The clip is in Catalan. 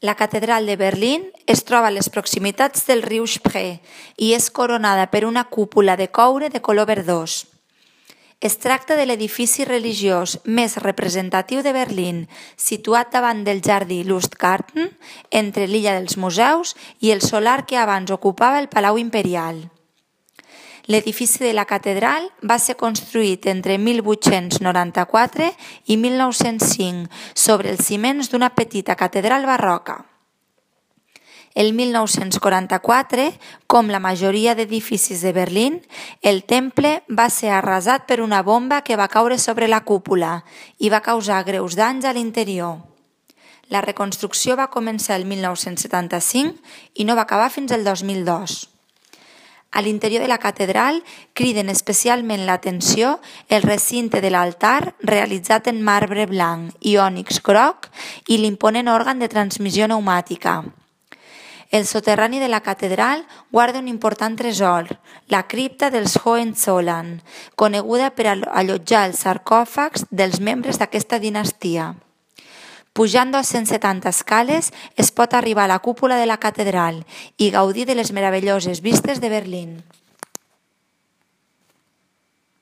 La catedral de Berlín es troba a les proximitats del riu Spree i és coronada per una cúpula de coure de color verdós. Es tracta de l'edifici religiós més representatiu de Berlín, situat davant del jardí Lustgarten, entre l'illa dels museus i el solar que abans ocupava el Palau Imperial. L'edifici de la catedral va ser construït entre 1894 i 1905 sobre els ciments d'una petita catedral barroca. El 1944, com la majoria d'edificis de Berlín, el temple va ser arrasat per una bomba que va caure sobre la cúpula i va causar greus danys a l'interior. La reconstrucció va començar el 1975 i no va acabar fins el 2002. A l'interior de la catedral criden especialment l'atenció el recinte de l'altar realitzat en marbre blanc i ònix groc i l'imponent òrgan de transmissió pneumàtica. El soterrani de la catedral guarda un important tresor, la cripta dels Hohenzollern, coneguda per allotjar els sarcòfags dels membres d'aquesta dinastia. Pujant 270 escales es pot arribar a la cúpula de la catedral i gaudir de les meravelloses vistes de Berlín.